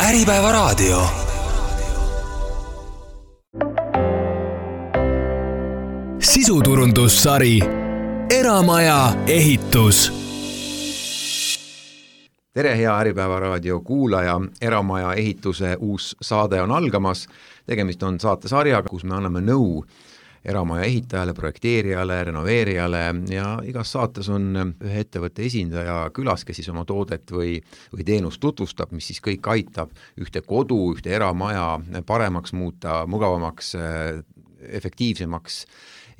Äripäevaraadio. Sisuturundussari Eramaja ehitus. Tere, hea Äripäevaraadio kuulaja. Eramaja ehituse uus saade on algamas. Tegemist on saatesarjaga, kus me anname nõu eramaja ehitajale, projekteerijale, renoveerijale ja igas saates on ühe ettevõtte esindaja külas, kes siis oma toodet või teenust tutvustab, mis siis kõik aitab ühte kodu, ühte eramaja paremaks muuta, mugavamaks, efektiivsemaks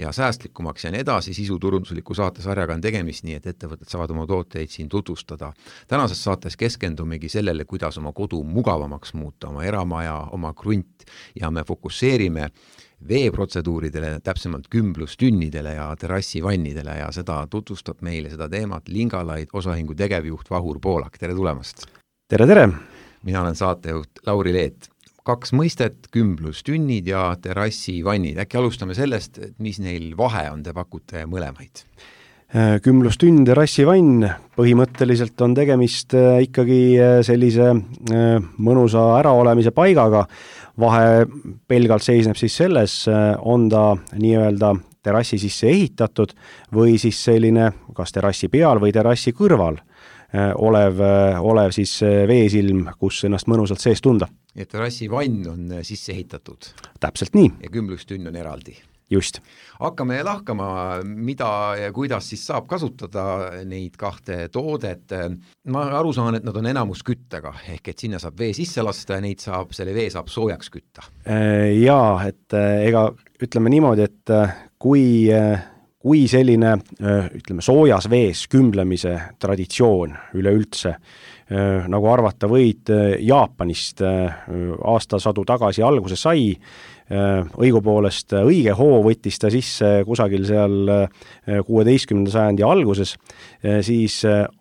ja säästlikumaks ja nii edasi. Sisuturundusliku saatesarjaga on tegemist nii, et ettevõtted saavad oma tooteid siin tutvustada. Tänases saates keskendumegi sellele, kuidas oma kodu mugavamaks muuta, oma eramaja, oma krunt ja me fokusseerime veeprotseduuridele, täpsemalt kümblustünnidele ja terrassivannidele ja seda tutvustab meile seda teemat Lingalaid osaühingu tegevjuht Vahur Poolak. Tere tulemast! Tere, tere! Mina olen saatejuht Lauri Leet. 2 mõistet, kümblustünnid ja terrassivannid. Äkki alustame sellest, et mis neil vahe on, te pakute mõlemaid? Kümblustünn, terrassivann, põhimõtteliselt on tegemist ikkagi sellise mõnusa äraolemise paigaga. Vahe pelgalt seisneb siis selles, on ta nii-öelda terrassi sisse ehitatud või siis selline kas terrassi peal või terrassi kõrval olev siis veesilm, kus ennast mõnusalt sees tunda. Ja terrassivann on sisse ehitatud. Täpselt nii. Ja kümblustünn on eraldi. Just. Hakkame lahkama, mida ja kuidas siis saab kasutada neid 2 toodet. Ma aru saan, et nad on enamus küttega, ehk et sinna saab vee sisse lasta ja selle vee saab soojaks kütta. Jaa, et ega ütleme niimoodi, et kui selline soojas vees kümblemise traditsioon üleüldse, nagu arvata võid, Jaapanist aastasadu tagasi alguse sai, õigupoolest õige hoo võttis ta sisse kusagil seal 16. sajandi alguses, siis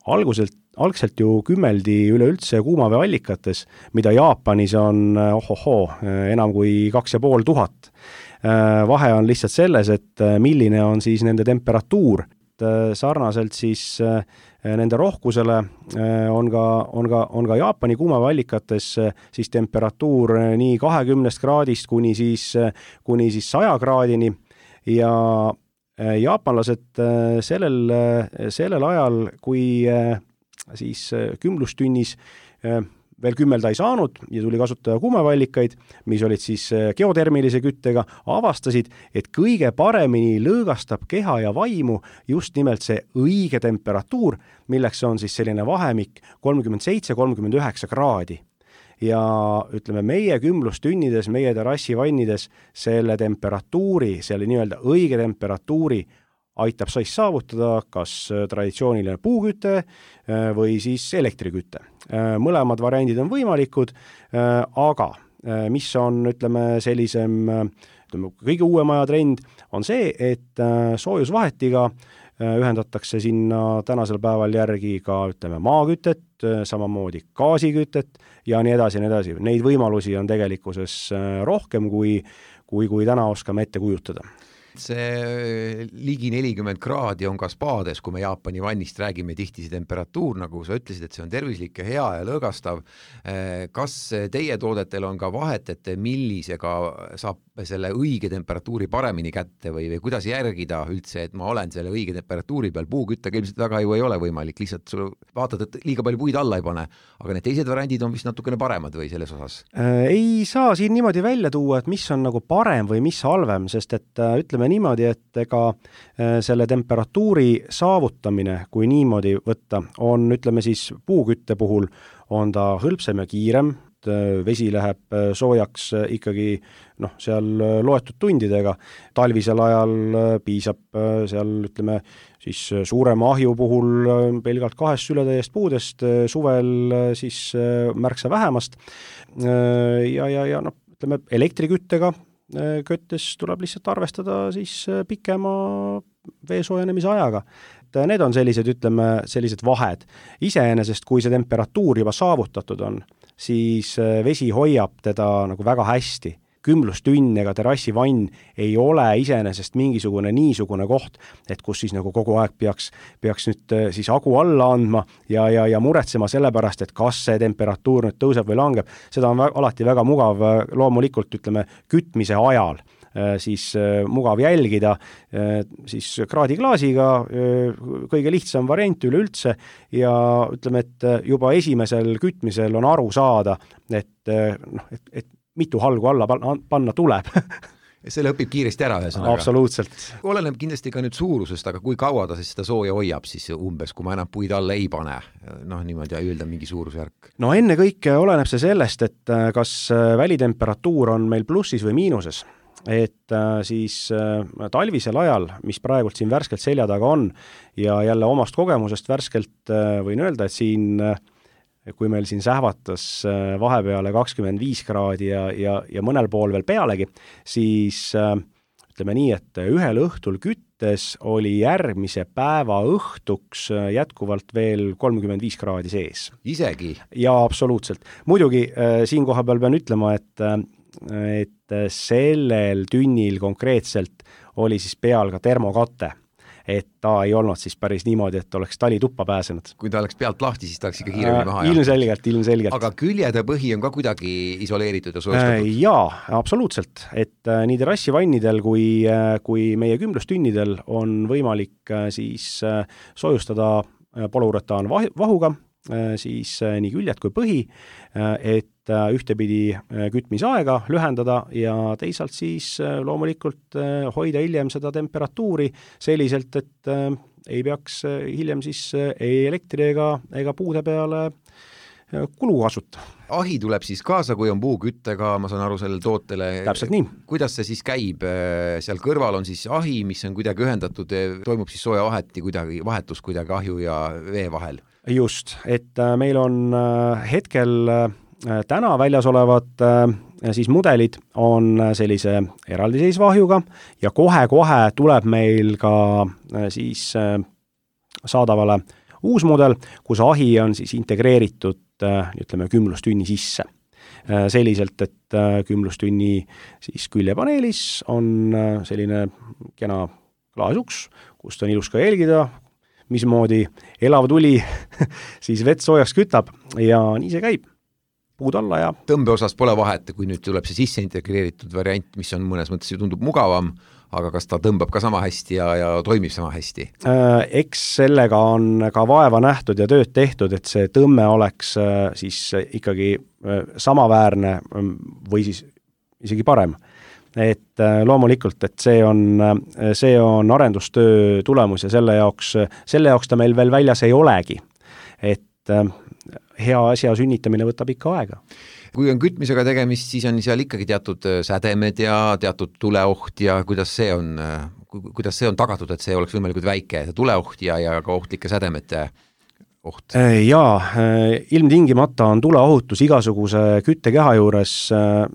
algselt ju kümmeldi üleüldse kuumaveeallikates, mida Jaapanis on enam kui 2500. Vahe on lihtsalt selles, et milline on siis nende temperatuur. Sarnaselt siis nende rohkusele on ka Jaapani kuumaveeallikates siis temperatuur nii 20 kraadist kuni siis 100 kraadini ja jaapanlased sellel ajal, kui siis kümblustünnis veel kümmelda ei saanud ja tuli kasutada kuumaveeallikaid, mis olid siis geotermilise küttega, avastasid, et kõige paremini lõõgastab keha ja vaimu just nimelt see õige temperatuur, milleks on siis selline vahemik 37-39 kraadi. Ja ütleme, meie kümblustünnides, meie terrassivannides selle temperatuuri, selle nii-öelda õige temperatuuri aitab siis saavutada kas traditsiooniline puuküte või siis elektriküte. Mõlemad variandid on võimalikud, aga mis on, kõige uuema aja trend on see, et soojusvahetiga ühendatakse sinna tänasel päeval järgi ka, maakütet, samamoodi gaasikütet ja nii edasi, nii edasi. Neid võimalusi on tegelikkuses rohkem, kui täna oskame ette kujutada. See ligi 40 kraadi on ka spaades, kui me Jaapani vannist räägime, tihti see temperatuur, nagu sa ütlesid, et see on tervislik ja hea ja lõõgastav. Kas teie toodetel on ka vahet, et millisega saab selle õige temperatuuri paremini kätte või kuidas järgida üldse, et ma olen selle õige temperatuuri peal? Puuküttega ilmselt väga ju ei ole võimalik, lihtsalt sul vaatad, et liiga palju puid alla ei pane, aga need teised variandid on vist natukene paremad või selles osas? Ei saa siin niimoodi välja tuua, et mis on nagu parem või mis halvem, sest et ütleme niimoodi, et ega selle temperatuuri saavutamine, kui niimoodi võtta, on siis puukütte puhul on ta hõlpsem ja kiirem, vesi läheb soojaks ikkagi seal loetud tundidega. Talvisel ajal piisab seal siis suurema ahju puhul pelgalt 2 sületäiest puudest, suvel siis märksa vähemast. Ja elektriküttega köttes tuleb lihtsalt arvestada siis pikema vee soojenemise ajaga. Need on sellised vahed. Iseenesest, kui see temperatuur juba saavutatud on, siis vesi hoiab teda nagu väga hästi. kümblustünn ega terrassivann ei ole iseenesest mingisugune niisugune koht, et kus siis nagu kogu aeg peaks nüüd siis hagu alla andma ja muretsema selle pärast, et kas see temperatuur nüüd tõuseb või langeb. Seda on alati väga mugav loomulikult, ütleme, kütmise ajal siis mugav jälgida, siis kraadiklaasiga kõige lihtsam variant üleüldse ja ütleme, et juba esimesel kütmisel on aru saada, et mitu halgu alla panna tuleb. Selle õpib kiiresti ära ühesõnaga. Absoluutselt. Oleneb kindlasti ka nüüd suurusest, aga kui kaua ta siis seda sooja hoiab siis umbes, kui ma enam puid alla ei pane, niimoodi öelda mingi suurusjärk? No enne kõike oleneb see sellest, et kas välitemperatuur on meil plussis või miinuses. Et siis talvisel ajal, mis praegult siin värskelt selja taga on ja jälle omast kogemusest värskelt võin öelda, et siin, kui meil siin sähvatas vahepeale 25 kraadi ja mõnel pool veel pealegi, siis ütleme nii, et ühel õhtul küttes oli järgmise päeva õhtuks jätkuvalt veel 35 kraadi sees. Isegi? Ja absoluutselt. Muidugi siin koha peal pean ütlema, et sellel tünnil konkreetselt oli siis peal ka termokate, et ta ei olnud siis päris niimoodi, et oleks tali tuppa pääsenud. Kui ta oleks pealt lahti, siis ta oleks ikka kiiremini maha ilmselgelt. Aga küljede põhi on ka kuidagi isoleeritud ja soojustatud? Jaa, absoluutselt. Et nii terrassivannidel kui meie kümblustünnidel on võimalik siis soojustada poluuretaan vahuga, siis nii küljed kui põhi, et ühtepidi kütmisaega lühendada ja teisalt siis loomulikult hoida hiljem seda temperatuuri selliselt, et ei peaks hiljem siis ei elektri ega puude peale kulu kasuta. Ahi tuleb siis kaasa, kui on puuküttega, ma saan aru sellele tootele. Täpselt nii. Kuidas see siis käib? Seal kõrval on siis ahi, mis on kuidagi ühendatud, toimub siis sooja vahetus kuidagi ahju ja vee vahel? Just, et meil on hetkel täna väljas olevad siis mudelid on sellise eraldiseisva ahjuga ja kohe tuleb meil ka siis saadavale uus mudel, kus ahi on siis integreeritud, ütleme, kümblustünni sisse. Selliselt, et kümblustünni siis küljepaneelis on selline kena klaasuks, kust on ilus ka jälgida, mismoodi elav tuli siis vett soojaks kütab ja nii see käib. Puud alla ja... Tõmbeosas pole vahet, kui nüüd tuleb see sisse integreeritud variant, mis on mõnes mõttes ju tundub mugavam, aga kas ta tõmbab ka sama hästi ja toimib sama hästi? Eks sellega on ka vaeva nähtud ja tööd tehtud, et see tõmme oleks siis ikkagi samaväärne või siis isegi parem. Et loomulikult, et see on arendustöö tulemus ja selle jaoks ta meil veel väljas ei olegi. Et hea asja sünnitamine võtab ikka aega. Kui on kütmisega tegemist, siis on seal ikkagi teatud sädemed ja teatud tuleoht ja kuidas see on tagatud, et see oleks võimalikult väike, tuleoht ja ka ohtlike sädemete oht? Jaa, ilmtingimata on tuleohutus igasuguse küttekeha juures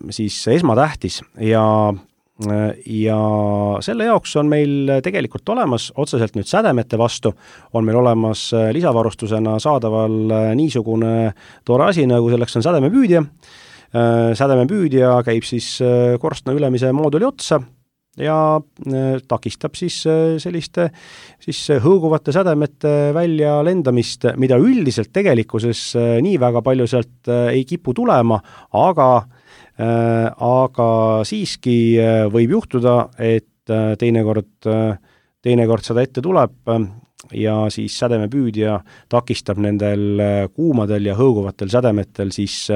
siis esmatähtis ja selle jaoks on meil tegelikult olemas, otseselt nüüd sädemete vastu, on meil olemas lisavarustusena saadaval niisugune toore asi, nagu selleks on sädemepüüdja. Sädemepüüdja käib siis korstna ülemise mooduli otsa ja takistab siis selliste siis hõõguvate sädemete välja lendamist, mida üldiselt tegelikkuses nii väga palju sealt ei kipu tulema, aga siiski võib juhtuda, et teinekord seda ette tuleb ja siis sädemepüüdja takistab nendel kuumadel ja hõõguvatel sädemetel siis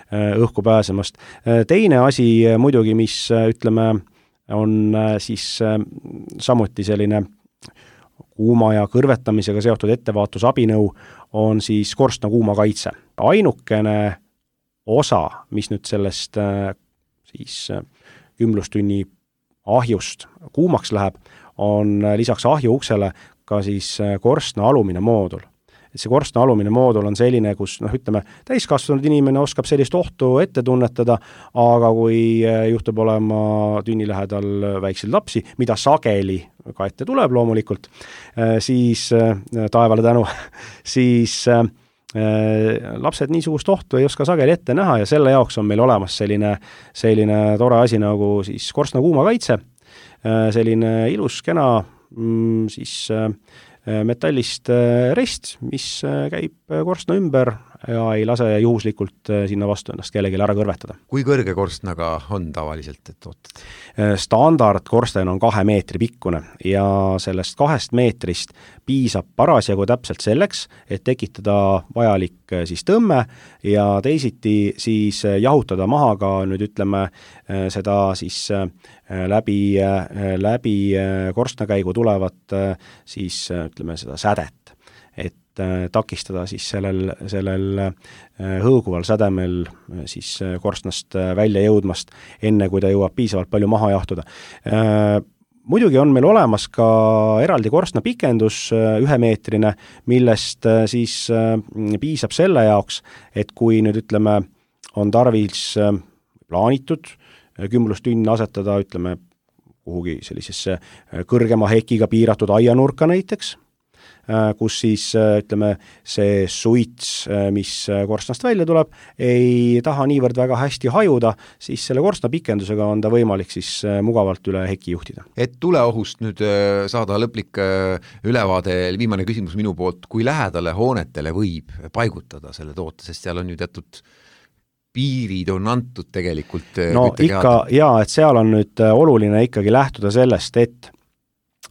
õhku pääsemast. Teine asi muidugi, mis ütleme, on siis samuti selline kuuma ja kõrvetamisega seotud ettevaastusabinõu, on siis korstna kuumakaitse. Ainukene osa, mis nüüd sellest siis kümblustünni ahjust kuumaks läheb, on lisaks ahju uksele ka siis korstna alumine moodul. Et see korstna alumine moodul on selline, kus ütleme, täiskasvanud inimene oskab sellist ohtu ette tunnetada, aga kui juhtub olema tünni lähedal väikseid lapsi, mida sageli ka ette tuleb loomulikult, siis taevale tänu, siis lapsed niisugust ohtu ei oska sageli ette näha ja selle jaoks on meil olemas selline tore asi nagu siis korstna kuumakaitse, selline ilus, kena siis metallist rest, mis käib korstna ümber ja ei lase juhuslikult sinna vastu ennast kellelegi ära kõrvetada. Kui kõrge korstnaga on tavaliselt, et tooted? Standard korsten on 2 meetri pikkune ja sellest 2 meetrist piisab parasjagu täpselt selleks, et tekitada vajalik siis tõmme ja teisiti siis jahutada maha ka nüüd ütleme seda siis läbi korstnakäigu tulevat siis ütleme seda sädet, et takistada siis sellel hõõguval sädemel siis korstnast välja jõudmast, enne kui ta jõuab piisavalt palju maha jahtuda. Muidugi on meil olemas ka eraldi korstna pikendus 1-meetrine, millest siis piisab selle jaoks, et kui nüüd ütleme on tarvis plaanitud kümlustünn asetada ütleme kuhugi sellisesse kõrgema hekiga piiratud aianurka näiteks, kus siis ütleme see suits, mis korstnast välja tuleb, ei taha niivõrd väga hästi hajuda, siis selle korstna pikendusega on ta võimalik siis mugavalt üle heki juhtida. Et tuleohust nüüd saada lõplik ülevaade, viimane küsimus minu poolt, kui lähedale hoonetele võib paigutada selle toote, sest seal on ju teatud piirid on antud tegelikult. No ikka, jaa, et seal on nüüd oluline ikkagi lähtuda sellest, et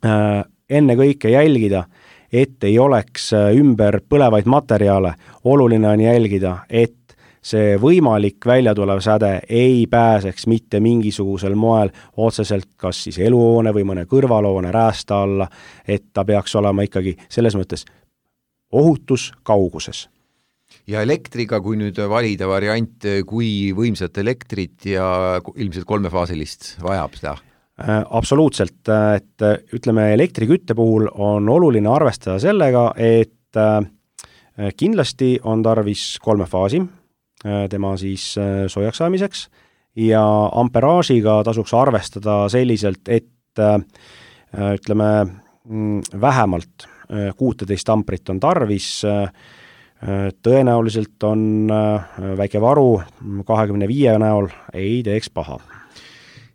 enne kõike jälgida, et ei oleks ümber põlevaid materjale, oluline on jälgida, et see võimalik välja tulev säde ei pääseks mitte mingisugusel moel otseselt kas siis eluhoone või mõne kõrvalhoone räästa alla, et ta peaks olema ikkagi selles mõttes ohutus kauguses. Ja elektriga, kui nüüd valida variant, kui võimsat elektrit ja ilmselt 3-faasilist vajab seda? Absoluutselt, et ütleme elektrikütte puhul on oluline arvestada sellega, et kindlasti on tarvis 3 faasi tema siis soojaks saamiseks ja amperaažiga tasuks arvestada selliselt, et ütleme vähemalt 16 amprit on tarvis, tõenäoliselt on väike varu 25 näol ei teeks paha.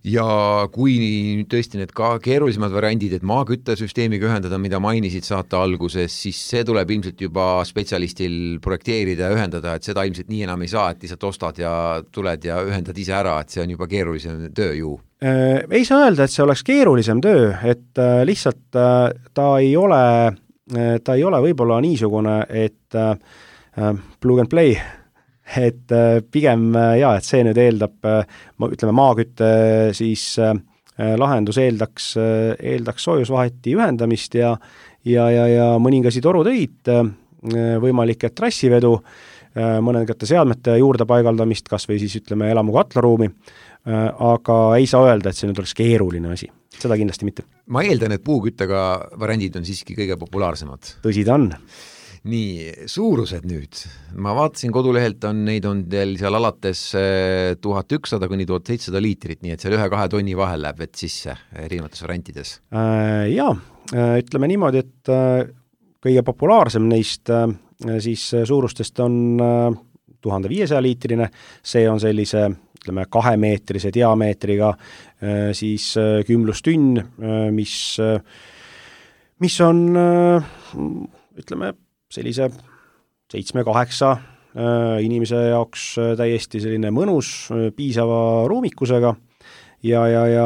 Ja kui tõesti need ka keerulisemad variandid, et maaküttesüsteemiga ühendada, mida mainisid saate alguses, siis see tuleb ilmselt juba spetsialistil projekteerida ja ühendada, et seda ilmselt nii enam ei saa, et lihtsalt ostad ja tuled ja ühendad ise ära, et see on juba keerulisem töö ju. Ei saa öelda, et see oleks keerulisem töö, et lihtsalt ta ei ole võib-olla niisugune, et plug and play, et pigem et see nüüd eeldab, ütleme maakütte siis lahendus eeldaks soojusvaheti ühendamist ja mõningasi torutöid, võimalik, et trassivedu, mõningate seadmete juurde paigaldamist, kas või siis ütleme elamu katlaruumi, aga ei saa öelda, et see nüüd oleks keeruline asi, seda kindlasti mitte. Ma eeldan, et puuküttega variandid on siiski kõige populaarsemad. Tõsi ta on. Nii, suurused nüüd. Ma vaatasin kodulehelt neid on teil seal alates 1100 kuni 1700 liitrit, nii et seal 1-2 tonni vahel läheb vett sisse erinevates variantides. Jaa, ütleme niimoodi, et kõige populaarsem neist siis suurustest on 1500 liitrine, see on sellise ütleme 2-meetrise diameetriga siis kümlustünn, mis on ütleme sellise 7-8 inimese jaoks täiesti selline mõnus, piisava ruumikusega ja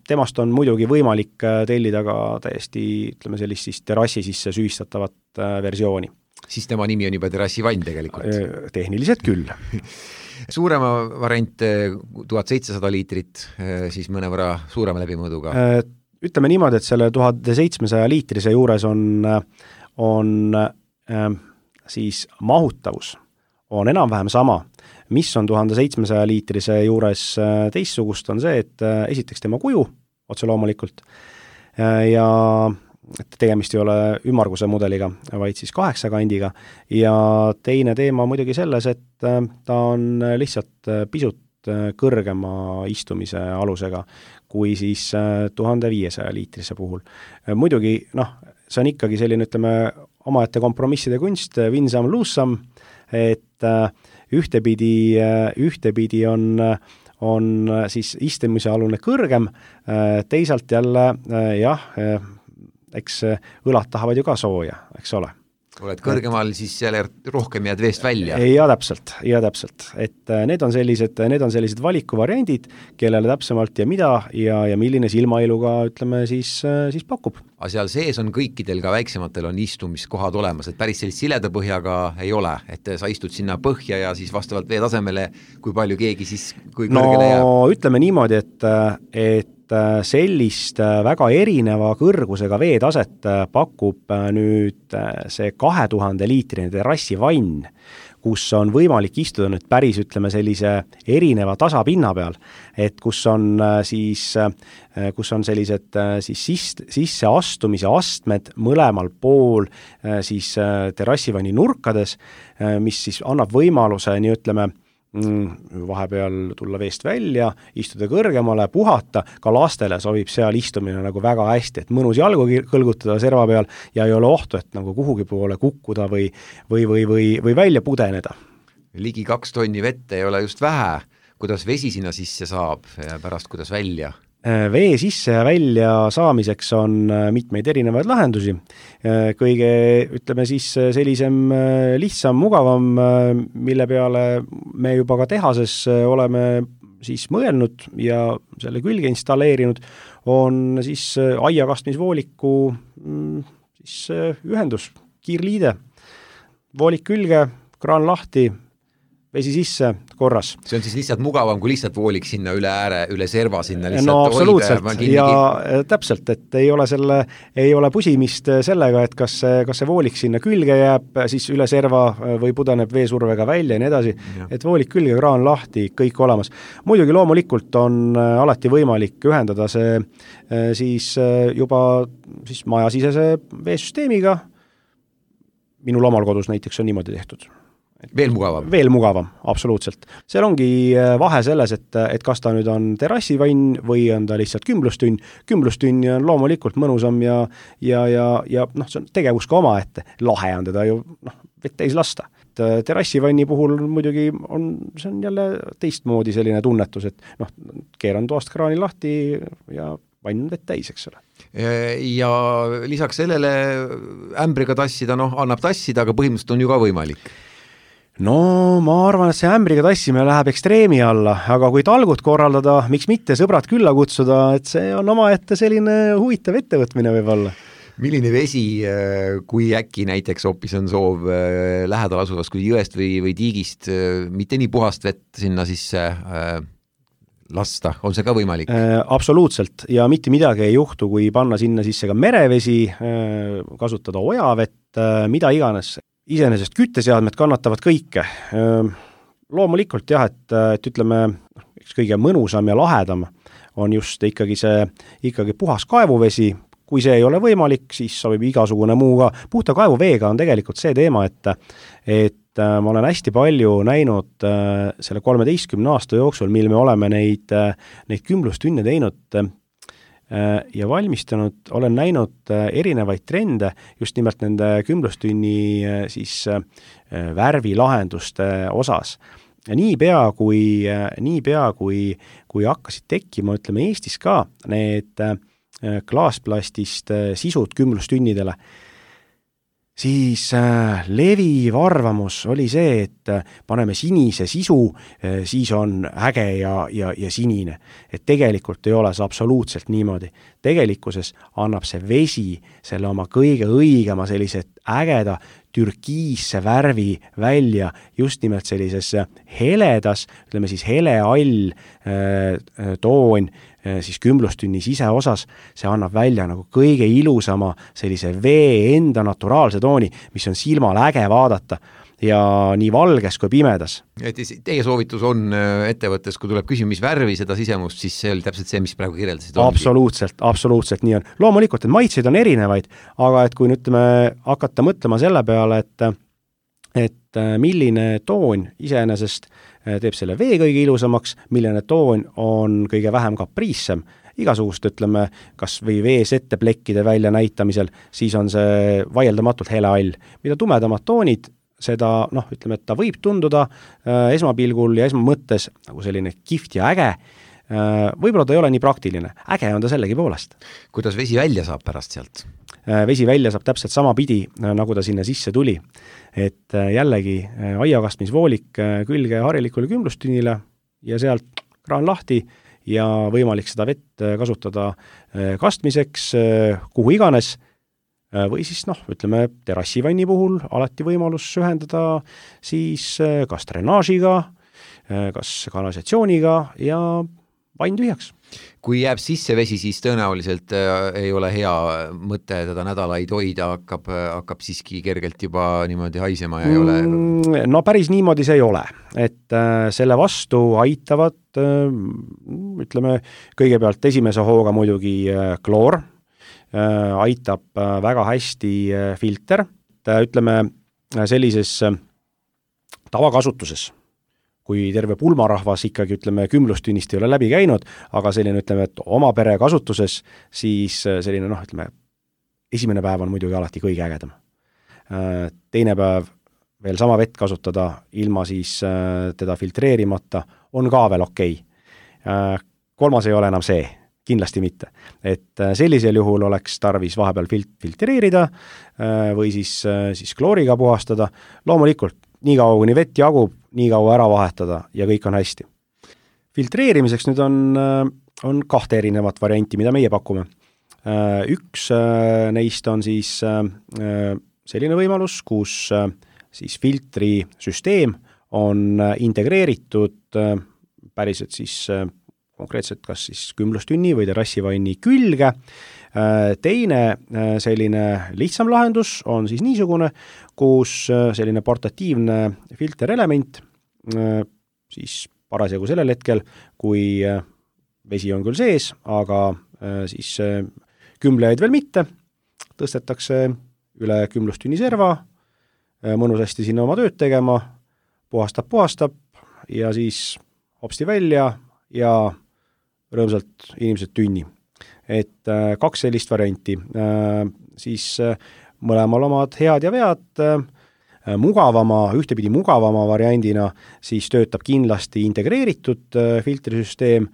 temast on muidugi võimalik tellida ka täiesti ütleme sellist siis terrassi sisse süvistatavat versiooni. Siis tema nimi on juba terrassivann tegelikult? Tehniliselt küll. Suurema variant 1700 liitrit, siis mõnevõrra suurema läbimõõduga? Ütleme niimoodi, et selle 1700 liitrise juures on siis mahutavus on enam-vähem sama. Mis on 1700 liitrise juures teistsugust on see, et esiteks tema kuju otse loomulikult ja et tegemist ei ole ümmarguse mudeliga, vaid siis 8 kandiga ja teine teema muidugi selles, et ta on lihtsalt pisut kõrgema istumise alusega kui siis 1500 liitrise puhul. Muidugi, see on ikkagi selline, ütleme, omaette kompromisside kunst, win some, lose some, et ühtepidi on siis istumise alune kõrgem, teisalt jälle eks õlad tahavad ju ka sooja, eks ole. Oled kõrgemal, siis jälle rohkem jääd veest välja. Ja täpselt, et need on sellised valikuvariandid, kellele täpsemalt ja mida ja milline silmailuga, ütleme, siis pakub. Aga seal sees on kõikidel ka väiksematel on istumiskohad olemas, et päris sellist sileda põhjaga ei ole, et sa istud sinna põhja ja siis vastavalt vee tasemele, kui palju keegi siis, kui kõrgele jääb. No ütleme niimoodi, et sellist väga erineva kõrgusega veetaset pakub nüüd see 2000-liitrine terrassivann, kus on võimalik istuda nüüd päris, ütleme, sellise erineva tasapinna peal, et kus on sellised siis sisseastumise astmed mõlemal pool siis terrassivanni nurkades, mis siis annab võimaluse, nii ütleme, vahepeal tulla veest välja, istuda kõrgemale, puhata, ka lastele sobib seal istumine nagu väga hästi, et mõnus jalgu kõlgutada serva peal ja ei ole ohtu, et nagu kuhugi poole kukkuda või välja pudeneda. Ligi 2 tonni vett ei ole just vähe, kuidas vesi sinna sisse saab ja pärast kuidas välja? Vee sisse ja välja saamiseks on mitmeid erinevaid lahendusi. Kõige, ütleme siis, sellisem lihtsam, mugavam, mille peale me juba ka tehases oleme siis mõelnud ja selle külge installeerinud, on siis aiakastmisvooliku siis ühendus, kiirliide, voolik külge, kraan lahti, vesi sisse, korras. See on siis lihtsalt mugavam, kui lihtsalt voolik sinna üle ääre, üle serva sinna lihtsalt no absoluutselt ja täpselt, et ei ole pusimist sellega, et kas see voolik sinna külge jääb, siis üle serva või pudeneb veesurvega välja ja nii edasi, et voolik külge, kraan lahti, kõik olemas. Muidugi loomulikult on alati võimalik ühendada see siis juba siis majasisese veesüsteemiga. Minul omal kodus näiteks on niimoodi tehtud. Veel mugavam? Veel mugavam, absoluutselt. Seal ongi vahe selles, et kas ta nüüd on terrassivann või on ta lihtsalt kümblustünn. Kümblustünn on loomulikult mõnusam ja noh, see on tegevus ka oma, et lahe on teda ju vett täis lasta. Terrassivanni puhul muidugi see on jälle teistmoodi selline tunnetus, et noh, keeran toast kraani lahti ja vann on vett täis, eks ole. Ja lisaks sellele ämbriga tassida, annab tassida, aga põhimõtteliselt on ju ka võimalik. No ma arvan, et see ämbriga tassimine läheb ekstreemi alla, aga kui talgut korraldada, miks mitte sõbrad külla kutsuda, et see on omaette selline huvitav ettevõtmine võib-olla. Milline vesi, kui äkki näiteks hoopis on soov lähedal asuvast kui jõest või tiigist, mitte nii puhast vett sinna sisse lasta, on see ka võimalik? Absoluutselt ja mitte midagi ei juhtu, kui panna sinna sisse ka merevesi, kasutada ojavett, mida iganes. Iseenesest kütteseadmed kannatavad kõike. Loomulikult jah, et ütleme, kõige mõnusam ja lahedam on just ikkagi puhas kaevuvesi. Kui see ei ole võimalik, siis sobib igasugune muu ka. Puhta kaevuveega on tegelikult see teema, et ma olen hästi palju näinud selle 13 aasta jooksul, mil me oleme neid kümblustünne teinud ja valmistanud, olen näinud erinevaid trende just nimelt nende kümblustünni siis värvilahenduste osas. Ja niipea kui hakkasid tekkima, ütleme Eestis ka need klaasplastist sisud kümblustünnidele, siis leviv arvamus oli see, et paneme sinise sisu, siis on äge ja sinine. Et tegelikult ei ole see absoluutselt niimoodi. Tegelikkuses annab see vesi selle oma kõige õigema sellise ägeda türkiisse värvi välja just nimelt sellises heledas, ütleme siis heleall toon, siis kümblustünni siseosas, see annab välja nagu kõige ilusama sellise vee enda naturaalse tooni, mis on silmal äge vaadata ja nii valges kui pimedas. Et teie soovitus on ettevõttes, kui tuleb küsima, mis värvi seda sisemust, siis see oli täpselt see, mis praegu kirjeldasid. Absoluutselt nii on. Loomulikult, et maitseid on erinevaid, aga et kui nüüd hakata mõtlema selle peale, et milline toon iseenesest teeb selle vee kõige ilusamaks, milline toon on kõige vähem kapriissem igasugust, ütleme, kas või veesette plekkide välja näitamisel, siis on see vaieldamatult helehall. Mida tumedamad toonid, seda, ütleme, et ta võib tunduda esmapilgul ja esmamõttes nagu selline kihvt ja äge, võib-olla ta ei ole nii praktiline. Äge on ta sellegi poolest. Kuidas vesi välja saab pärast sealt? Vesi välja saab täpselt sama pidi, nagu ta sinna sisse tuli. Et jällegi aiakastmisvoolik külge harilikule kümblustünnile ja sealt kraan lahti ja võimalik seda vett kasutada kastmiseks, kuhu iganes, või siis ütleme terrassivanni puhul alati võimalus ühendada siis kas drenaažiga, kas kanalisatsiooniga ja vann tühjaks. Kui jääb sisse vesi, siis tõenäoliselt ei ole hea mõte teda nädalaid hoida, hakkab siiski kergelt juba niimoodi haisema ja ei ole... No päris niimoodi see ei ole, et selle vastu aitavad, ütleme, kõigepealt esimese hooga muidugi kloor, aitab väga hästi filter, ütleme sellises tavakasutuses, kui terve pulmarahvas ikkagi, ütleme, kümblustünnist ei ole läbi käinud, aga selline, ütleme, et oma pere kasutuses, siis selline, ütleme, esimene päev on muidugi alati kõige ägedam. Teine päev veel sama vett kasutada, ilma siis teda filtreerimata, on ka veel okei. Kolmas ei ole enam see, kindlasti mitte. Et sellisel juhul oleks tarvis vahepeal filtreerida või siis klooriga puhastada. Loomulikult, nii kaua kuni vett jagub, nii kaua ära vahetada ja kõik on hästi. Filtreerimiseks nüüd on 2 erinevat varianti, mida meie pakume. Üks neist on siis selline võimalus, kus siis filtrisüsteem on integreeritud päriselt siis konkreetselt kas siis kümblustünni või terrassivanni külge. Teine selline lihtsam lahendus on siis niisugune, kus selline portatiivne filterelement siis parasjagu sellel hetkel, kui vesi on küll sees, aga siis kümblejaid veel mitte, tõstetakse üle kümblustünni serva, mõnusasti sinna oma tööd tegema, puhastab ja siis hopsti välja ja rõõmsalt inimesed tünni. Et 2 sellist varianti, siis mõlemal omad head ja vead, ühtepidi mugavama variandina siis töötab kindlasti integreeritud filtrisüsteem,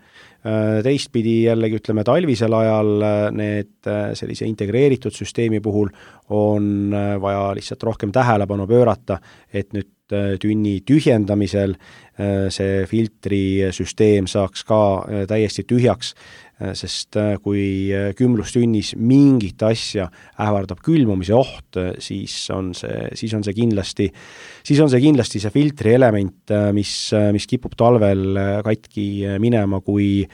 teistpidi jällegi ütleme talvisel ajal need sellise integreeritud süsteemi puhul on vaja lihtsalt rohkem tähelepanu pöörata, et nüüd tünni tühjendamisel see filtrisüsteem saaks ka täiesti tühjaks, sest kui kümblustünnis mingit asja ähvardab külmumise oht, siis on see kindlasti see filtri element, mis kipub talvel katki minema, kui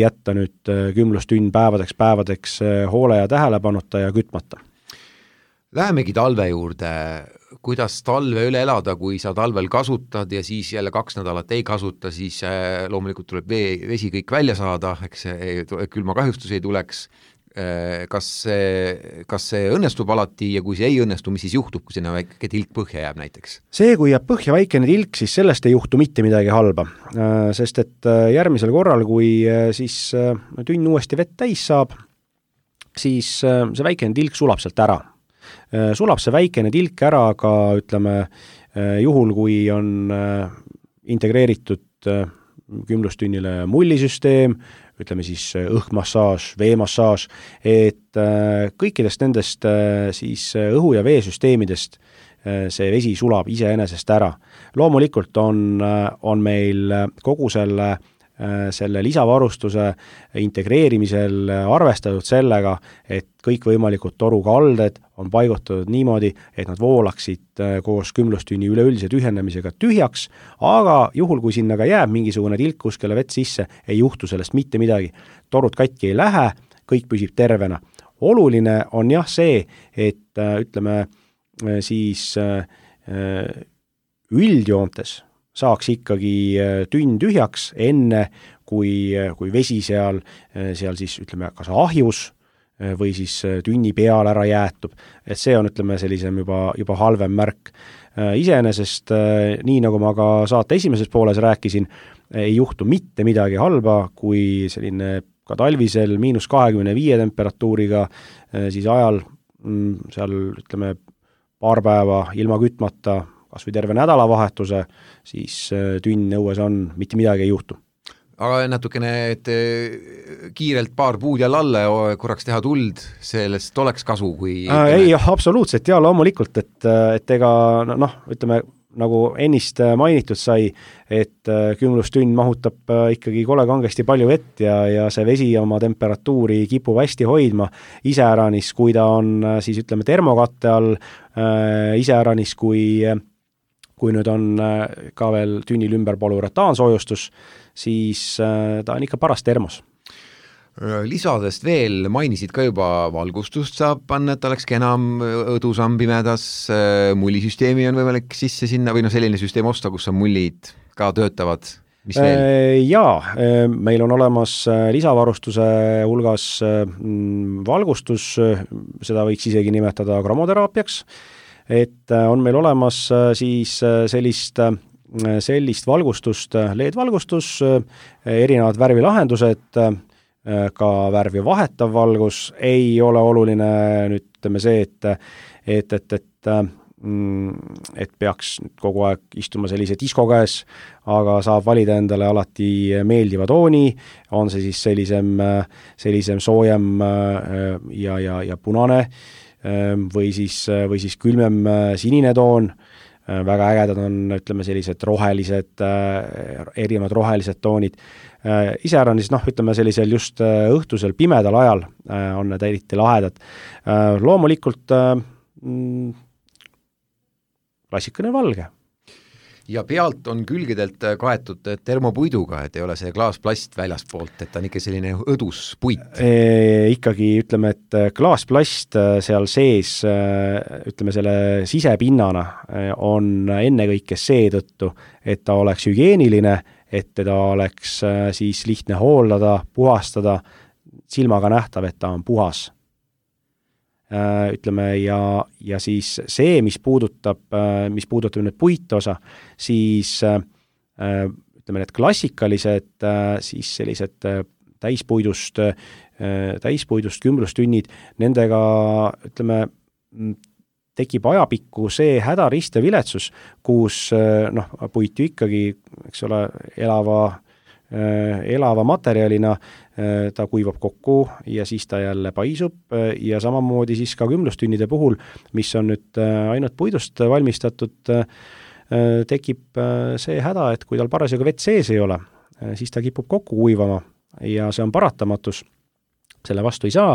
jätta nüüd kümblustünn päevadeks hoole ja tähelepanuta ja kütmata. Lähemegi talve juurde. Kuidas talve üle elada, kui sa talvel kasutad ja siis jälle 2 nädalat ei kasuta, siis loomulikult tuleb vesi kõik välja saada, eks külmakahjustus ei tuleks. Kas see õnnestub alati ja kui see ei õnnestu, mis siis juhtub, kui sinna väike tilk põhja jääb näiteks? See, kui jääb põhja väikene tilk, siis sellest ei juhtu mitte midagi halba, sest et järgmisel korral, kui siis tünn uuesti vett täis saab, siis see väikene tilk sulab sealt ära. Sulab see väikene tilk ära, aga ütleme, juhul kui on integreeritud kümblustünnile mullisüsteem, ütleme siis õhkmassaaž, veemassaaž, et kõikidest nendest siis õhu- ja veesüsteemidest see vesi sulab iseenesest ära. Loomulikult on meil kogu selle lisavarustuse integreerimisel arvestatud sellega, et kõikvõimalikud torukalded on paigutatud niimoodi, et nad voolaksid koos kümblustünni üleüldise tühjendamisega tühjaks, aga juhul, kui sinna ka jääb mingisugune tilk kuskile vett sisse, ei juhtu sellest mitte midagi. Torud katki ei lähe, kõik püsib tervena. Oluline on jah see, et ütleme siis üldjoontes saaks ikkagi tünn tühjaks enne, kui vesi seal siis ütleme kas ahjus või siis tünni peal ära jäetub, et see on ütleme sellisem juba halvem märk. Iseenesest, nii nagu ma ka saate esimeses pooles rääkisin, ei juhtu mitte midagi halba, kui selline ka talvisel -25 temperatuuriga, siis ajal seal ütleme paar päeva ilma kütmata, kas või terve nädalavahetuse, siis tünn õues on, mitte midagi ei juhtu. Aga natukene, et kiirelt paar puud jälle alla ja korraks teha tuld, sellest oleks kasu, kui ei, absoluutselt, ja loomulikult, et ega ütleme, nagu ennist mainitud sai, et külmlustünn mahutab ikkagi kole kangesti palju vett ja see vesi oma temperatuuri kipub hästi hoidma, iseäranis, kui ta on siis ütleme termokatte all, iseäranis, kui nüüd on ka veel tünnil ümber polüuretaansoojustus, siis ta on ikka paras termos. Lisadest veel mainisid ka juba valgustust saab panna, et oleks kenam õdusam pimedas, mullisüsteemi on võimalik sisse sinna või selline süsteem osta, kus on mullid ka töötavad, mis veel? Jaa, meil on olemas lisavarustuse hulgas valgustus, seda võiks isegi nimetada kromoteraapiaks, et on meil olemas siis sellist valgustust, LED-valgustus, erinevad värvilahendused, ka värvi vahetav valgus, ei ole oluline nüüd ütleme see, et peaks kogu aeg istuma sellise disko käes, aga saab valida endale alati meeldiva tooni, on see siis sellisem soojem ja punane või siis külmem sinine toon. Väga ägedad on, ütleme, sellised rohelised, erinevad rohelised toonid. Iseäranis, ütleme, sellisel just õhtusel pimedal ajal on need eriti lahedad. Loomulikult klassikaline valge. Ja pealt on külgedelt kaetud termopuiduga, et ei ole see klaasplast väljaspoolt, et ta on ikka selline õdus puit. Ikkagi ütleme, et klaasplast seal sees, ütleme selle sisepinnana on ennekõike seetõttu, et ta oleks hügieeniline, et teda oleks siis lihtne hooldada, puhastada, silmaga nähtav, et ta on puhas. Ütleme, ja siis see, mis puudutab nüüd puitosa, siis ütleme, need klassikalised siis sellised täispuidust kümblustünnid, nendega ütleme, tekib ajapikku see hädarist ja viletsus, kus puit ju ikkagi, eks ole, elava materjalina ta kuivab kokku ja siis ta jälle paisub ja samamoodi siis ka kümblustünnide puhul, mis on nüüd ainult puidust valmistatud, tekib see häda, et kui tal parasjagu vett sees ei ole, siis ta kipub kokku kuivama ja see on paratamatus, selle vastu ei saa.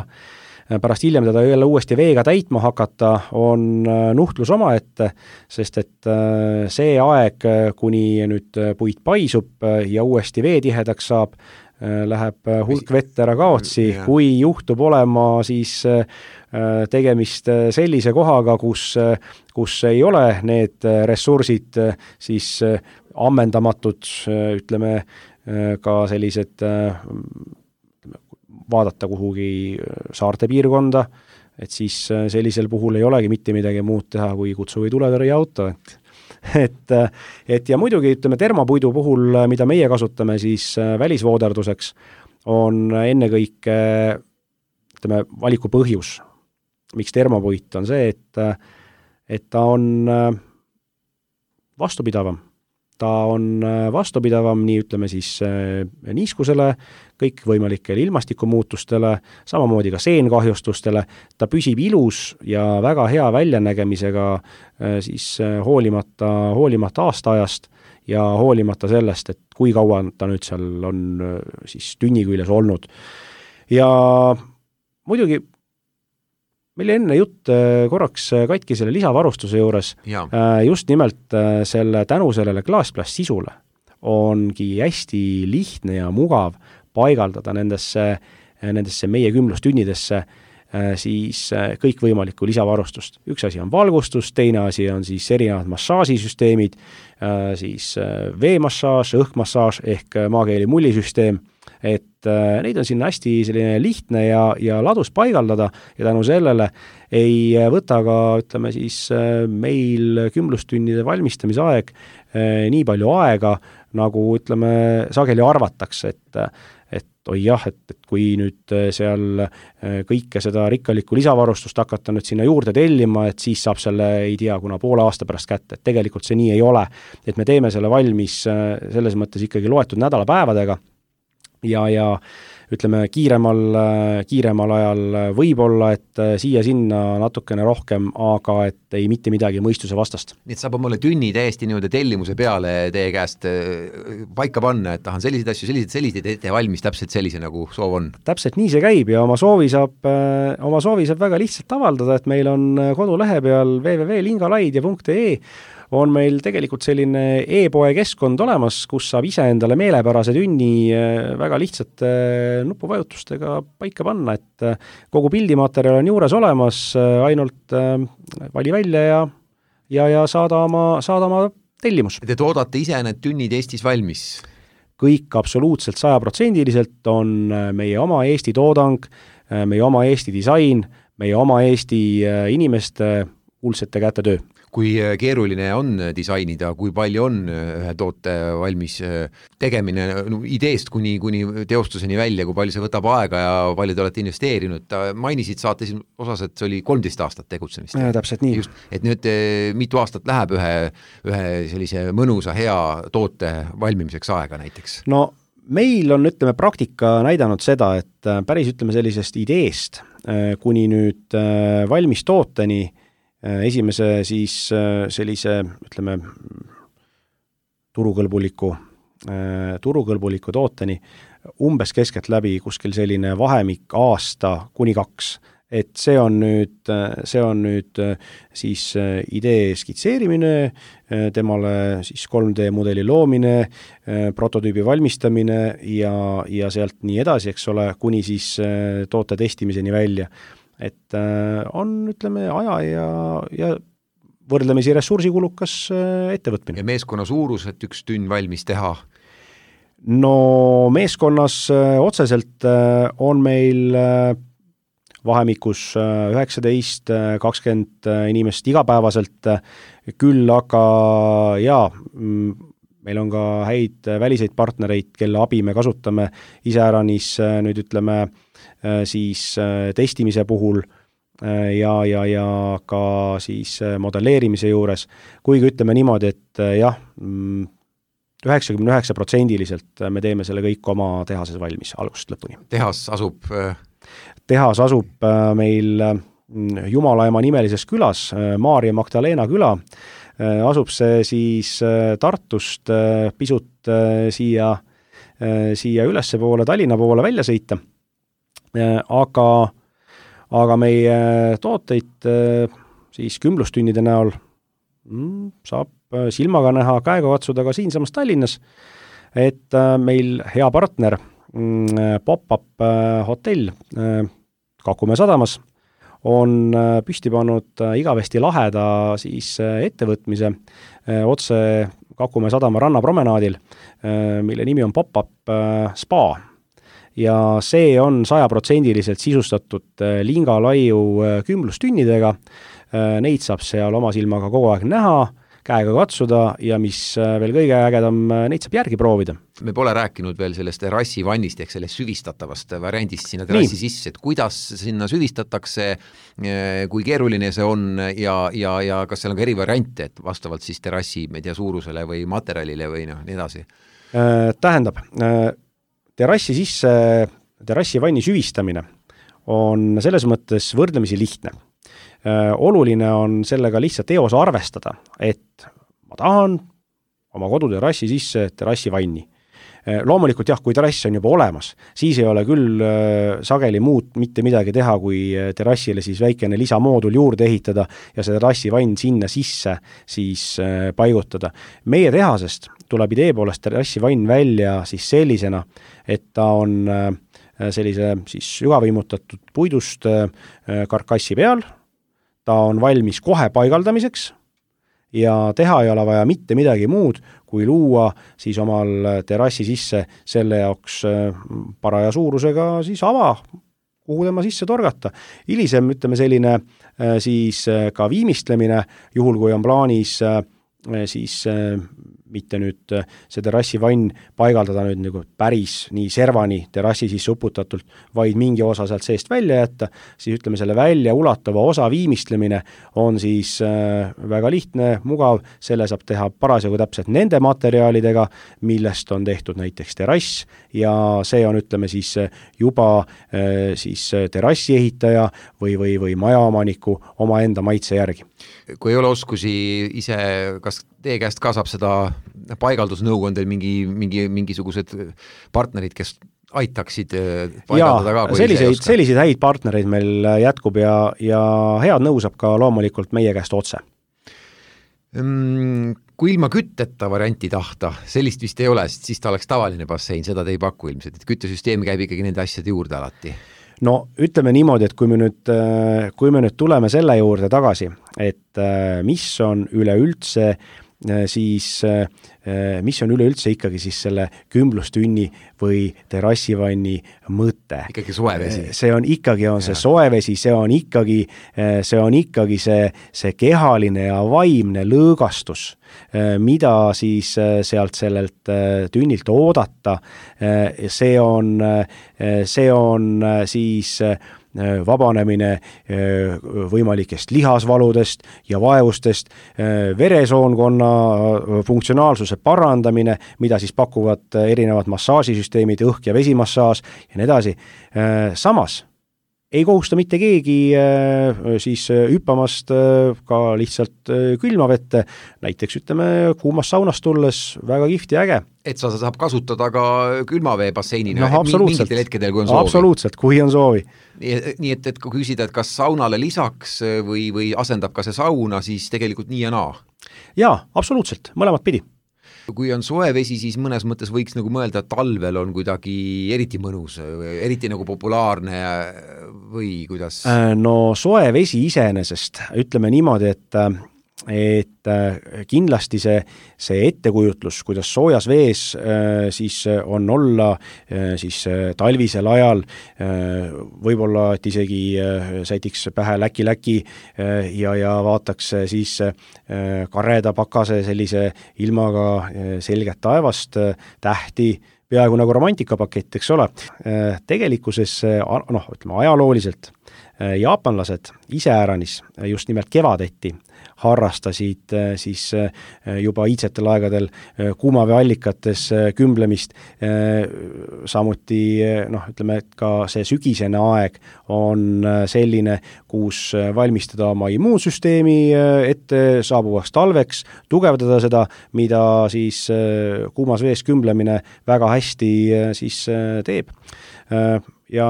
Pärast hiljem teda jälle uuesti veega täitma hakata on nuhtlus omaette, sest et see aeg, kuni nüüd puit paisub ja uuesti veetihedaks saab, läheb hulk vett ära kaotsi, kui juhtub olema siis tegemist sellise kohaga, kus ei ole need ressursid siis ammendamatud, ütleme ka sellised vaadata kuhugi saarte piirkonda, et siis sellisel puhul ei olegi mitte midagi muud teha, kui kutsu või tuletõrje auto. Et ja muidugi, ütleme, termopuidu puhul, mida meie kasutame siis välisvooderduseks, on ennekõike, ütleme, valiku põhjus. Miks termopuit on see, et ta on vastupidavam. Ta on vastupidavam nii, ütleme siis niiskusele, kõik võimalikele ilmastikumuutustele, samamoodi ka seenkahjustustele, ta püsib ilus ja väga hea väljanägemisega siis hoolimata aastaajast ja hoolimata sellest, et kui kaua ta nüüd seal on siis tünni küljes olnud. Ja muidugi meil enne jutt korraks katki selle lisavarustuse juures, just nimelt tänu sellele klaasplast sisule ongi hästi lihtne ja mugav paigaldada nendesse meie kümblustünnidesse siis kõikvõimalikku lisavarustust. Üks asi on valgustus, teine asi on siis erinevad massaažisüsteemid, siis veemassaaž, õhkmassaaž ehk maakeeli mullisüsteem, et neid on sinna hästi selline lihtne ja ladus paigaldada ja tänu sellele ei võta ka, ütleme siis, meil kümblustunnide valmistamise aeg nii palju aega, nagu ütleme, sageli arvatakse, et oi jah, et kui nüüd seal kõike seda rikkalikku lisavarustust hakata nüüd sinna juurde tellima, et siis saab selle, ei tea, kuna poole aasta pärast kätte, et tegelikult see nii ei ole. Et me teeme selle valmis selles mõttes ikkagi loetud nädalapäevadega ja ütleme, kiiremal ajal võib-olla, et siia-sinna natukene rohkem, aga et ei mitte midagi mõistuse vastast. Nii et saab omale tünni täiesti niimoodi tellimuse peale teie käest paika panna, et tahan selliseid asju, selliseid ette valmis täpselt sellise, nagu soov on. Täpselt nii see käib ja oma soovi saab väga lihtsalt avaldada, et meil on kodulehe peal www.lingalaidja.ee on meil tegelikult selline e-poe keskkond olemas, kus saab ise endale meelepärase tünni väga lihtsate nupuvajutustega paika panna, et kogu pildimaterjal on juures olemas, ainult vali välja ja saada oma tellimus. Te toodate ise need tünnid Eestis valmis? Kõik absoluutselt 100% on meie oma Eesti toodang, meie oma Eesti disain, meie oma Eesti inimeste kuulsete käte töö. Kui keeruline on disainida, kui palju on ühe toote valmis tegemine ideest kuni teostuseni välja, kui palju see võtab aega ja palju te olete investeerinud. Mainisid saates osas, et see oli 13 aastat tegutsemist. Täpselt nii. Just, et nüüd mitu aastat läheb ühe sellise mõnusa hea toote valmimiseks aega näiteks? No meil on, ütleme, praktika näidanud seda, et päris, ütleme, sellisest ideest kuni nüüd valmis tooteni esimese siis sellise, ütleme, turukõlbuliku tooteni umbes keskeltläbi kuskil selline vahemik aasta kuni 2. Et see on nüüd siis idee skitseerimine, temale siis 3D mudeli loomine, prototüübi valmistamine ja sealt nii edasi, eks ole, kuni siis toote testimiseni välja. Et on, ütleme, aja ja võrdlemisi ressursikulukas ettevõtmine. Ja meeskonna suurus, et üks tünn valmis teha? No meeskonnas otseselt on meil vahemikus 19-20 inimest igapäevaselt, küll aga meil on ka häid väliseid partnereid, kelle abi me kasutame iseäranis nüüd, ütleme, siis testimise puhul ja ka siis modelleerimise juures, kuigi ütleme niimoodi, et jah, 99% me teeme selle kõik oma tehases valmis algusest lõpuni. Tehas asub meil Jumalaema nimelises külas, Maarja Magdalena küla, asub see siis Tartust pisut siia ülesse poole, Tallinna poole välja sõita. Aga meie tooteid siis kümblustunnide näol saab silmaga näha, käega katsuda ka siinsamas Tallinnas, et meil hea partner Pop-up hotell Kakumäe sadamas on püsti pannud igavesti laheda siis ettevõtmise otse Kakumäe sadama rannapromenaadil, mille nimi on Pop-up spa. Ja see on 100% sisustatud Lingalaiu kümblustünnidega. Neid saab seal oma silmaga kogu aeg näha, käega katsuda ja mis veel kõige ägedam, neid saab järgi proovida. Me pole rääkinud veel sellest terrassivannist ehk sellest süvistatavast variandist sinna terrassi sisse, et kuidas sinna süvistatakse, kui keeruline see on ja kas seal on ka eri variante, et vastavalt siis terrassi suurusele või materjalile või nii edasi? Tähendab, terrassivanni süvistamine on selles mõttes võrdlemisi lihtne. Oluline on sellega lihtsalt eos arvestada, et ma tahan oma koduterrassi sisse terrassivanni. Loomulikult jah, kui terrass on juba olemas, siis ei ole küll sageli muud mitte midagi teha, kui terrassile siis väikene lisamoodul juurde ehitada ja see terrassivann sinna sisse siis paigutada. Meie tehasest tuleb idee poolest terrassivann välja siis sellisena, et ta on sellise siis sügavõimutatud puidust karkassi peal, ta on valmis kohe paigaldamiseks ja teha ei ole vaja mitte midagi muud, kui luua siis omal terrassi sisse selle jaoks paraja suurusega siis ava, kuhu tema sisse torgata. Hilisem, ütleme selline siis ka viimistlemine, juhul kui on plaanis siis mitte nüüd see terrassivann paigaldada nüüd nagu päris nii servani terrassi sisse uputatult, vaid mingi osa sealt seest välja jätta, siis ütleme selle välja ulatava osa viimistlemine on siis väga lihtne, mugav, selle saab teha parasjagu täpselt nende materjalidega, millest on tehtud näiteks terrass ja see on, ütleme siis juba siis terrassi ehitaja või majaomaniku omaenda maitse järgi. Kui ei ole oskusi ise, kas teie käest ka saab seda paigaldusnõu, on teil mingisugused partnerid, kes aitaksid paigaldada ka? Selliseid häid partnereid meil jätkub ja head nõu saab ka loomulikult meie käest otse. Kui ilma kütteta varianti tahta, sellist vist ei ole, siis ta oleks tavaline bassein, seda te ei paku ilmselt, et küttesüsteem käib ikkagi nende asjade juurde alati. No ütleme niimoodi, et kui me nüüd tuleme selle juurde tagasi, et mis on üleüldse ikkagi siis selle kümblustünni või terrassivanni mõte. Ikkagi soevesi. See on ikkagi see soevesi, see on ikkagi see kehaline ja vaimne lõõgastus, mida siis sealt sellelt tünnilt oodata. See on siis vabanemine võimalikest lihasvaludest ja vaevustest, veresoonkonna funktsionaalsuse parandamine, mida siis pakuvad erinevad massaažisüsteemid, õhk- ja vesimassaaž ja nii edasi. Samas ei kohusta mitte keegi siis hüppamast ka lihtsalt külmavette, näiteks ütleme kuumast saunast tulles väga kihvt ja äge. Et sa saab kasutada ka külmavee basseinina mingitel hetkedel, kui on soovi. Absoluutselt, kui on soovi. Nii et kui küsida, et kas saunale lisaks või asendab ka see sauna, siis tegelikult nii ja naa? Jaa, absoluutselt, mõlemat pidi. Kui on soe vesi, siis mõnes mõttes võiks nagu mõelda, et talvel on kuidagi eriti mõnus, eriti nagu populaarne või kuidas? No soe vesi iseenesest, ütleme niimoodi, et kindlasti see ettekujutlus, kuidas soojas vees siis on olla siis talvisel ajal, võib-olla, et isegi sätiks pähe läki ja vaataks siis kareda pakase sellise ilmaga selget taevast, tähti, peaaegu nagu romantikapakett, eks ole. Tegelikkuses, ütleme ajalooliselt, jaapanlased iseäranis just nimelt kevadeti harrastasid siis juba iidsetel aegadel kuumaveeallikates kümblemist. Samuti, ütleme, et ka see sügisene aeg on selline, kus valmistada oma immuunsüsteemi ette saabuvaks talveks, tugevdada seda, mida siis kuumas vees kümblemine väga hästi siis teeb. Ja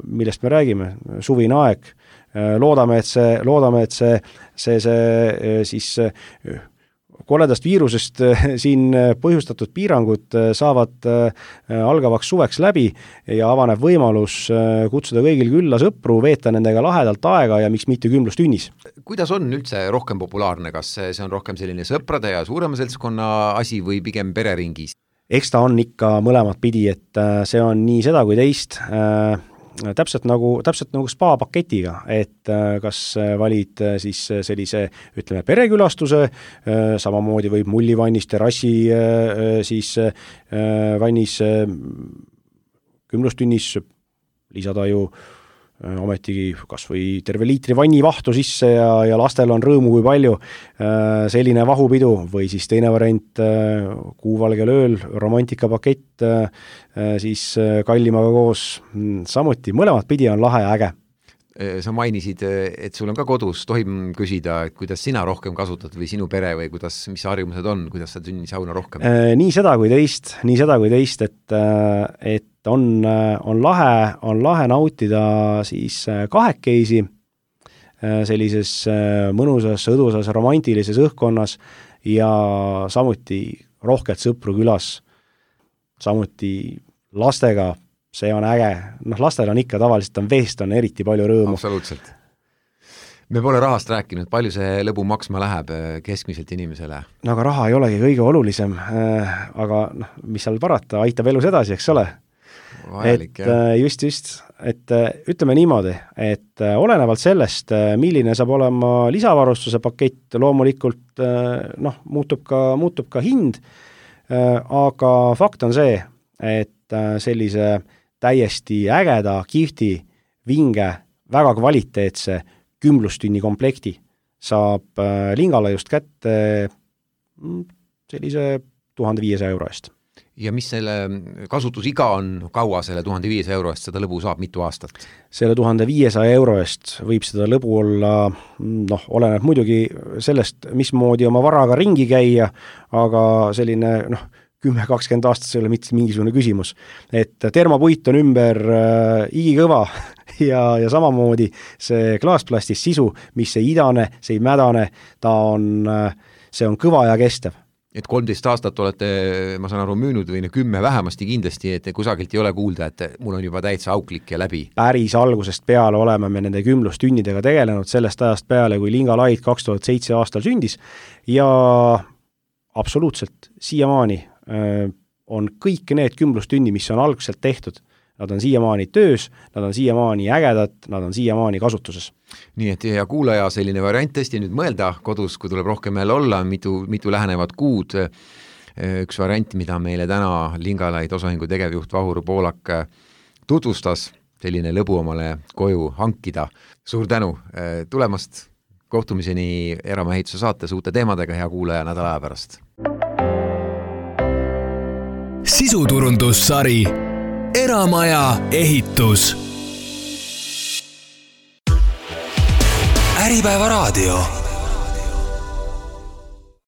millest me räägime, suvine aeg, loodame, et see siis koledast viirusest siin põhjustatud piirangud saavad algavaks suveks läbi ja avaneb võimalus kutsuda kõigil külla sõpru, veeta nendega lahedalt aega ja miks mitte kümblustünnis. Kuidas on üldse rohkem populaarne, kas see on rohkem selline sõprade ja suurema seltskonna asi või pigem pereringis? Eks ta on ikka mõlemat pidi, et see on nii seda kui teist, täpselt nagu spa-paketiga, et kas valid siis sellise, ütleme, perekülastuse, samamoodi võib mullivannis, terrassi siis vannis, kümblustünnis lisada ju ometigi kas või terve liitri vannivahtu sisse ja lastel on rõõmu kui palju, selline vahupidu või siis teine variant kuuvalgel ööl, romantikapakett siis kallimaga koos, samuti mõlemat pidi on lahe ja äge. Sa mainisid, et sul on ka kodus, tohib küsida, et kuidas sina rohkem kasutad või sinu pere või mis harjumused on, kuidas sa tünnisauna rohkem? Nii seda kui teist, et on lahe nautida siis kahekesi sellises mõnusas, õdusas, romantilises õhkkonnas ja samuti rohkelt sõpru külas, samuti lastega. See on äge. Lastel on ikka tavaliselt veest on eriti palju rõõmu. Absoluutselt. Me pole rahast rääkinud, palju see lõbu maksma läheb keskmiselt inimesele? No aga raha ei olegi kõige olulisem, aga mis seal parata, aitab elus edasi, eks ole? Vajalik, just, et ütleme niimoodi, et olenevalt sellest, milline saab olema lisavarustuse pakett, loomulikult muutub ka hind, aga fakt on see, et sellise täiesti ägeda, kihvti, vinge, väga kvaliteetse kümblustünni komplekti saab Lingala just kätte sellise 1500 euro eest. Ja mis selle kasutusiga on, kaua selle 1500 euro eest seda lõbu saab, mitu aastat? Selle 1500 euro eest võib seda lõbu olla, oleneb muidugi sellest, mismoodi oma varaga ringi käia, aga selline 10-20 aastat see ei ole mitte mingisugune küsimus. Et termopuit on ümber igikõva ja samamoodi see klaasplastist sisu, mis ei idane, see ei mädane, see on kõva ja kestev. Et 13 aastat olete, ma saan aru, müünud või 10 vähemasti kindlasti, et kusagilt ei ole kuulda, et mul on juba täitsa auklik ja läbi. Päris algusest peale oleme me nende kümblustünnidega tegelenud sellest ajast peale, kui Linga Light 2007 aastal sündis ja absoluutselt siiamaani on kõik need kümblustünni, mis on algselt tehtud, nad on siiamaani töös, nad on siiamaani ägedad, nad on siiamaani kasutuses. Nii et ja kuulaja selline variant tõesti nüüd mõelda kodus, kui tuleb rohkem jälle olla, mitu lähenevad kuud. Üks variant, mida meile täna Linga Light osaühingu tegevjuht Vahur Poolak tutvustas, selline lõbu omale koju hankida. Suur tänu tulemast, kohtumiseni Eramaja ehituse saates uute teemadega, hea kuulaja nädala aja pärast. Sisuturundussari Eramaja ehitus. Äripäeva raadio.